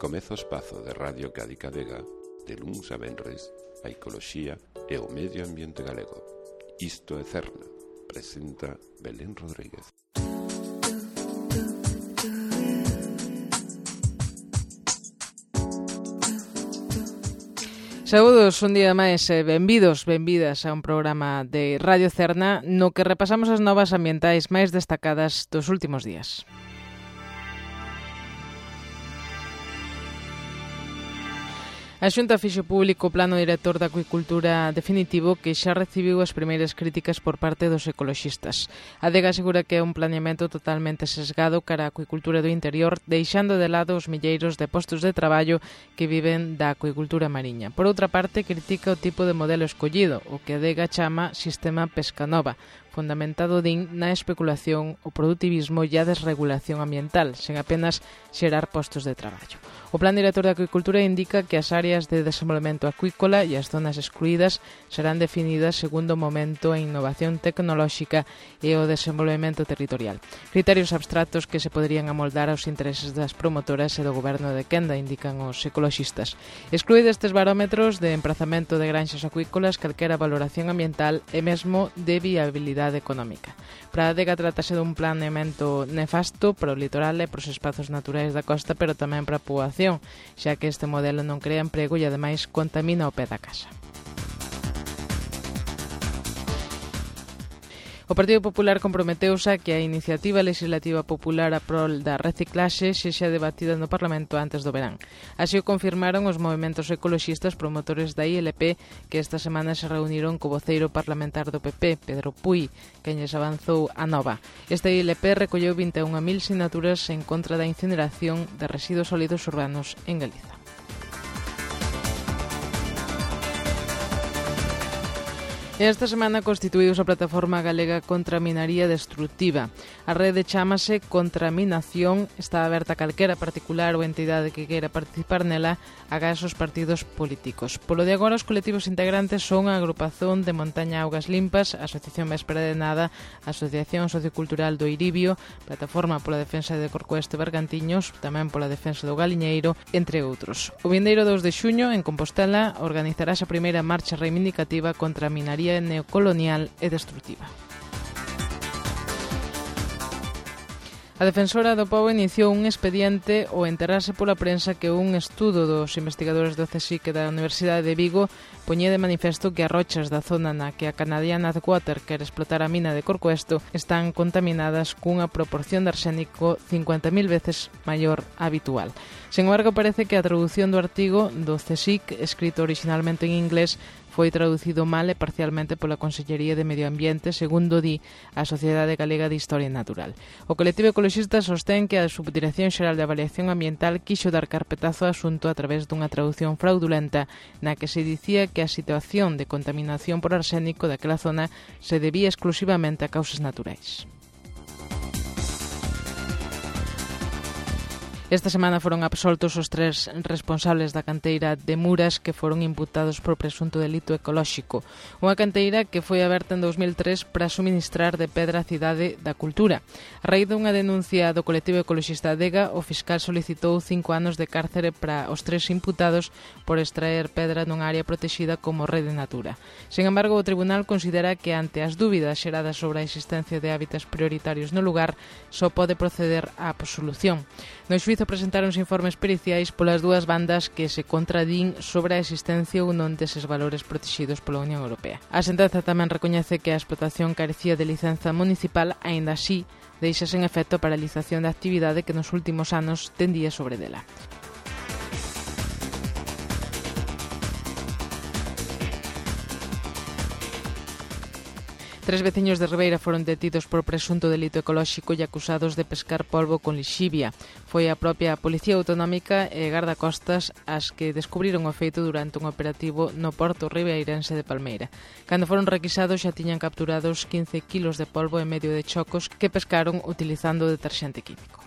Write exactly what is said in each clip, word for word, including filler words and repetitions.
Comeza o espazo de Radio Cádiz Vega de luns a venres a ecoloxía e o medio ambiente galego. Isto é Cerna, presenta Belén Rodríguez. Saúdos, un día máis, eh, benvidos, benvidas a un programa de Radio Cerna no que repasamos as novas ambientais máis destacadas dos últimos días. A Xunta fixo público o Plano Director da Acuicultura definitivo que xa recibiu as primeiras críticas por parte dos ecoloxistas. A Adega asegura que é un planeamento totalmente sesgado cara á acuicultura do interior, deixando de lado os milleiros de postos de traballo que viven da acuicultura mariña. Por outra parte, critica o tipo de modelo escollido, o que a Adega chama Sistema Pescanova, fundamentado din na especulación, o produtivismo e a desregulación ambiental, sen apenas xerar postos de traballo. O Plan Director de Acuicultura indica que as áreas de desenvolvemento acuícola e as zonas excluídas serán definidas segundo o momento a innovación tecnolóxica e o desenvolvemento territorial. Criterios abstractos que se poderían amoldar aos intereses das promotoras e do goberno de quenda, indican os ecoloxistas. Exclui destes barómetros de emprazamento de granxas acuícolas calquera valoración ambiental e mesmo de viabilidade económica. Para a Adega trátase dun planeamento nefasto para o litoral e para os espazos naturais da costa, pero tamén para a poboación, xa que este modelo non crea emprego e ademais contamina o pé da casa. O Partido Popular comprometeuse a que a iniciativa legislativa popular a prol da reciclaxe sexa debatida no Parlamento antes do verán. Así o confirmaron os movementos ecoloxistas promotores da I L P que esta semana se reuniron co voceiro parlamentar do P P, Pedro Puy, quen lles avanzou a nova. Esta I L P recolleu vinte e unha mil sinaturas en contra da incineración de residuos sólidos urbanos en Galiza. Esta semana constituíuse a Plataforma Galega contra a Minaría Destructiva. A rede chámase Contraminación, está aberta a calquera particular ou entidade que queira participar nela, agás os partidos políticos. Polo de agora, os colectivos integrantes son a Agrupación de Montaña Augas Limpas, a Asociación Véspera de Nada, a Asociación Sociocultural do Iribio, Plataforma pola Defensa de Corcoesto e Bergantiños, tamén pola Defensa do Galiñeiro, entre outros. O vindeiro dous de xuño, en Compostela, organizarase a primeira marcha reivindicativa contra a minaría neocolonial e destructiva. A Defensora do Pobo iniciou un expediente ao enterarse pola prensa que un estudo dos investigadores do CSIC e da Universidade de Vigo poñía de manifesto que as rochas da zona na que a Canadian Adwater quere explotar a mina de Corcoesto están contaminadas cunha proporción de arsénico cincuenta mil veces maior a habitual. Sen embargo, parece que a traducción do artigo do CSIC, escrito originalmente en inglés, foi traducido mal e parcialmente pola Consellería de Medio Ambiente, segundo di a Sociedade Galega de Historia Natural. O colectivo ecoloxista sostén que a Subdirección Xeral de Avaliación Ambiental quixo dar carpetazo ao asunto a través dunha traducción fraudulenta na que se dicía que a situación de contaminación por arsénico daquela zona se debía exclusivamente a causas naturais. Esta semana foron absoltos os tres responsables da canteira de Muras que foron imputados por presunto delito ecolóxico. Unha canteira que foi aberta en dos mil tres para suministrar de pedra a Cidade da Cultura. A raíz dunha denuncia do colectivo ecoloxista Adega, o fiscal solicitou cinco anos de cárcere para os tres imputados por extraer pedra nunha área protexida como Rede Natura. Sen embargo, o tribunal considera que ante as dúbidas xeradas sobre a existencia de hábitats prioritarios no lugar, só pode proceder á absolución. No xuízo presentáronse informes periciais polas dúas bandas que se contradín sobre a existencia ou non deses valores protegidos pola Unión Europea. A sentenza tamén recoñece que a explotación carecía de licenza municipal, aínda así deixa sen efecto a paralización da actividade que nos últimos anos tendía sobre dela. Tres veciños de Ribeira foron detidos por presunto delito ecolóxico e acusados de pescar polvo con lixivia. Foi a propia Policía Autonómica e Gardacostas as que descubriron o feito durante un operativo no porto ribeirense de Palmeira. Cando foron requisados xa tiñan capturados quince kilos de polvo e medio de chocos que pescaron utilizando deterxente químico.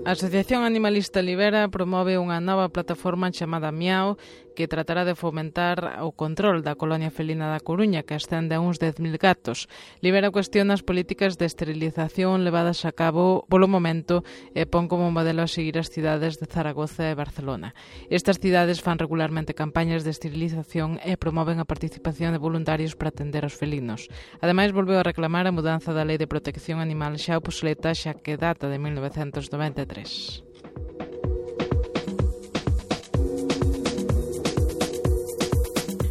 A A Asociación Animalista Libera promove unha nova plataforma chamada Miau que tratará de fomentar o control da colonia felina da Coruña, que ascende a uns dez mil gatos. Libera cuestiona as políticas de esterilización levadas a cabo polo momento e pon como modelo a seguir as cidades de Zaragoza e Barcelona. Estas cidades fan regularmente campañas de esterilización e promoven a participación de voluntarios para atender aos felinos. Ademais, volveu a reclamar a mudanza da Lei de Protección Animal xa obsoleta, xa que data de mil novecentos noventa e tres.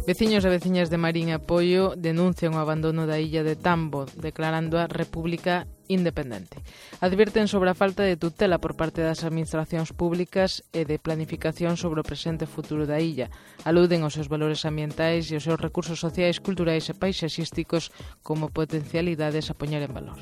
Veciños e veciñas de Marín e Apoio denuncian o abandono da illa de Tambo, declarando a República independente. Advirten sobre a falta de tutela por parte das administracións públicas e de planificación sobre o presente e futuro da illa. Aluden aos seus valores ambientais e aos seus recursos sociais, culturais e paisaxísticos como potencialidades a poñer en valor.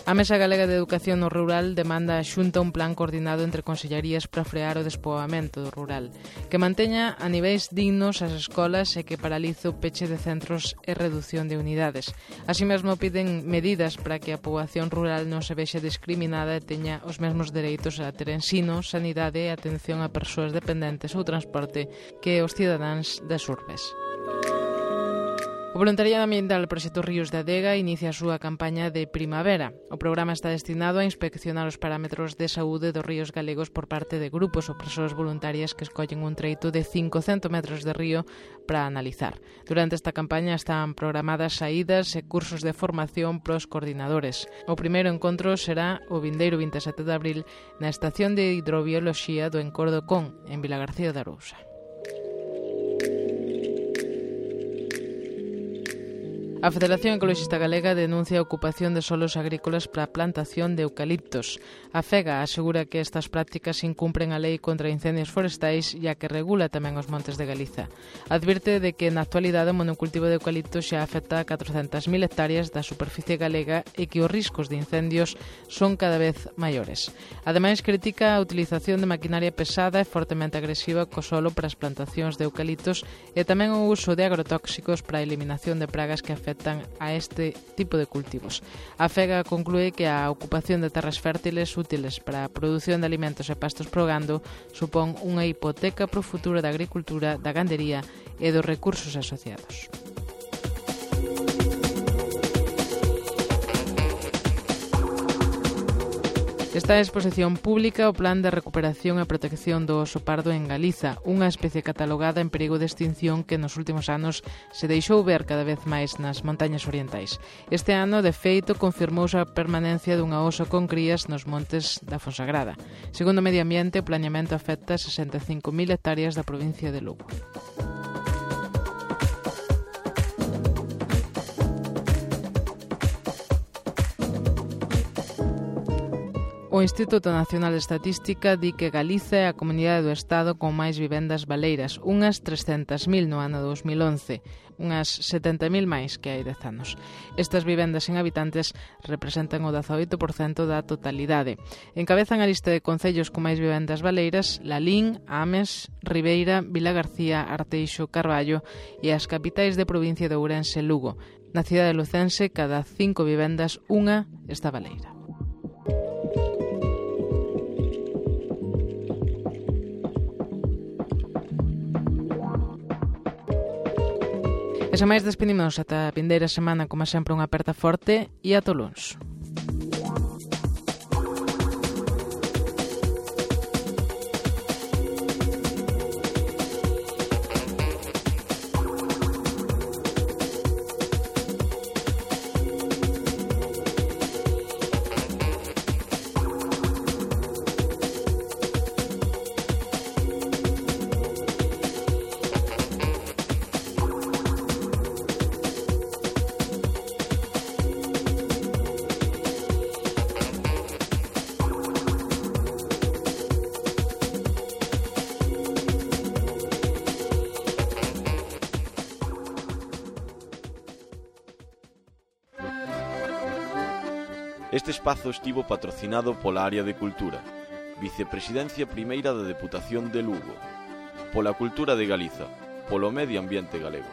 A Mesa Galega de Educación no Rural demanda a Xunta un plan coordinado entre consellerías para frear o despoboamento do rural, que manteña a niveis dignos as escolas e que paralice o peche de centros e reducción de unidades. Así mesmo piden medidas para que a poboación rural non se vexe discriminada e teña os mesmos dereitos a ter ensino, sanidade e atención a persoas dependentes ou transporte que os cidadáns das urbes. O Voluntariado Ambiental do Proxecto Ríos da Adega inicia a súa campaña de primavera. O programa está destinado a inspeccionar os parámetros de saúde dos ríos galegos por parte de grupos ou persoas voluntarias que escollen un treito de cincocentos metros de río para analizar. Durante esta campaña están programadas saídas e cursos de formación pros coordinadores. O primeiro encontro será o vindeiro vinte e sete de abril na Estación de Hidrobioloxía do Encordo Con, en Vilagarcía de Arousa. A Federación Ecoloxista Galega denuncia a ocupación de solos agrícolas para a plantación de eucaliptos. A FEGA asegura que estas prácticas incumpren a lei contra incendios forestais e a que regula tamén os montes de Galiza. Advirte de que na actualidade o monocultivo de eucaliptos xa afecta a catrocentas mil hectáreas da superficie galega e que os riscos de incendios son cada vez maiores. Ademais, critica a utilización de maquinaria pesada e fortemente agresiva co solo para as plantacións de eucaliptos e tamén o uso de agrotóxicos para a eliminación de pragas que afectan a este tipo de cultivos. A FEGA conclúe que a ocupación de terras fértiles útiles para a produción de alimentos e pastos pro gando supón unha hipoteca pro futuro da agricultura, da gandería e dos recursos asociados. Está a exposición pública o Plan de Recuperación e Protección do Oso Pardo en Galiza, unha especie catalogada en perigo de extinción que nos últimos anos se deixou ver cada vez máis nas montañas orientais. Este ano, de feito, confirmouse a permanencia dunha oso con crías nos montes da Fonsagrada. Segundo o Medio Ambiente, o planeamento afecta sesenta e cinco mil hectáreas da provincia de Lugo. O Instituto Nacional de Estatística di que Galiza é a comunidade do Estado con máis vivendas baleiras, unhas trescentas mil no ano dos mil once, unhas setenta mil máis que hai dez anos. Estas vivendas sen habitantes representan o dezaoito por cento da totalidade. Encabezan a lista de concellos con máis vivendas baleiras Lalín, Ames, Ribeira, Vilagarcía, Arteixo, Carballo e as capitais de provincia de Ourense e Lugo. Na cidade lucense, cada cinco vivendas, unha está baleira. E sen máis despedimos ata a vindeira semana, como sempre, unha aperta forte e ata o luns. Este espazo estivo patrocinado pola Área de Cultura, Vicepresidencia Primeira da Deputación de Lugo, pola Cultura de Galiza, polo Medio Ambiente Galego.